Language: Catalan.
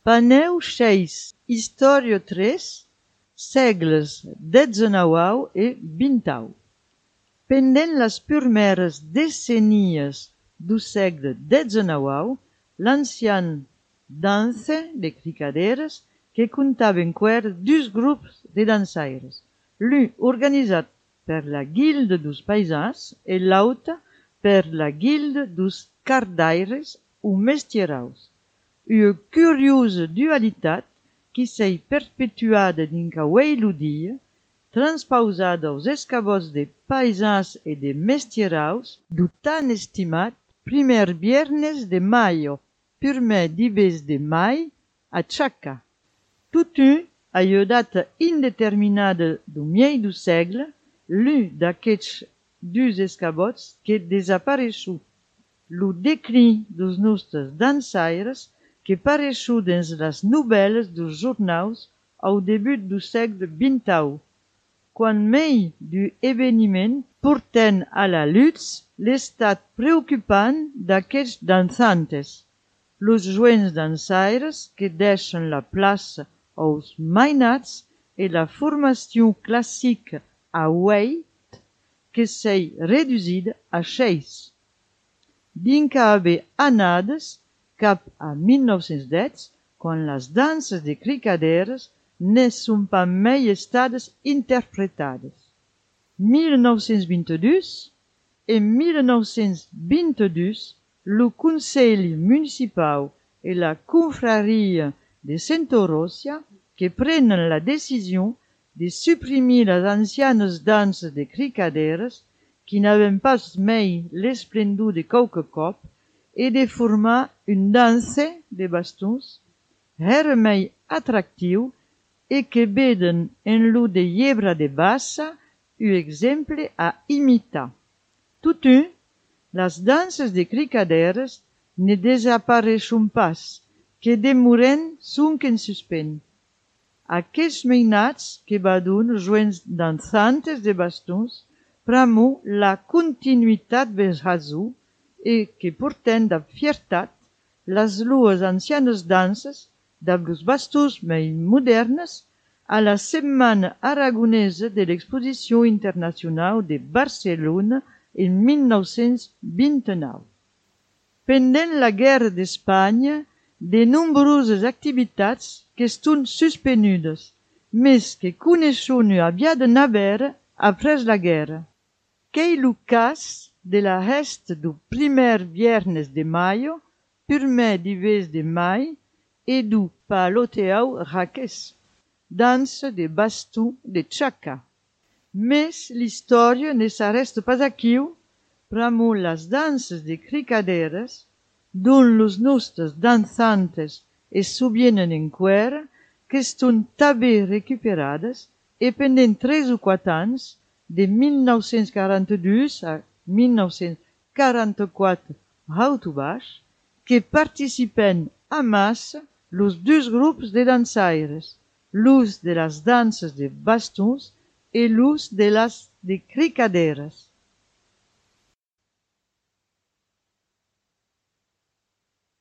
Paneu 6, Història 3, segles XIX e XX. Pendent les primeres decennies do ségle XIX, l'ancian danse de cricaderes que comptaven quer dus grups de dansaires, l'un organitzat per la Guilde dos paisans e l'autre per la Guilde dos cardaires ou mestieraus. Una curiosa dualitat qui s'est perpetuada dinca uei lo dia, transpausada aos escabots de paisans e de mestieraus do tan estimat primer viernes de maio, primer dives de mai, a Txaca. Totun, a ua data indeterminada do miei do ségle, l'un d'aquests dus escabots que desapareçut. Lo declin dos nostres dansaires que pareçut dins las novelas dos jornaus au debut do ségle XX, quan mei du eveniment porten a la lutz l'estat preocupant d'aquests dansantes, los joents dansaires que deixen la plaça aos mainats e la formació classica a uei que s'est reduïda a 6. Dinca haver anades cap a 1910, quan les danses de cricaderes ne són pas mai estades interpretades. 1922 e 1922, lo Consell Municipal e la Confraria de Santa-Ròcia que prenen la decisió de suprimir les ancianes danses de cricaderes qui n'avaient pas mai l'esplendor de qualque cop e de formar un danse de bastons, era mai atractiu e que veden en lo de Llebra de Bassa un exemple a imitar. Totun, las danses de cricaderes ne desapareçon pas, que demoren sonque en suspens. Aquests mainats que badun joents dansantes de bastons pramo la continuïtat vesrazó e que porten da fiertat las lues ancianes danses damb los bastons mai modernes a la Setmana Aragonesa de l'Exposició Internacional de Barcelona en 1929. Pendent la Guerra d'Espanya, de nombroses activitats que eston suspenudes, mes que coneishon ua aviada navera apres la guerra. Qu'ei lo cas de la resta do primer viernes de maio, primer dives de mai e do paloteau raquès, dansa de baston de Txaca. Mes l'història ne s'arresta pas aquiu, pramo las danses de cricaderes, don los nostres dansantes es sobienen enquera, que eston tabè recuperades e pendent 3 o 4 ans, de 1942 a 1944 autobaix, que participen a massa los dus grups de dansaires, los de las danses de bastons e los de las de cricaderes.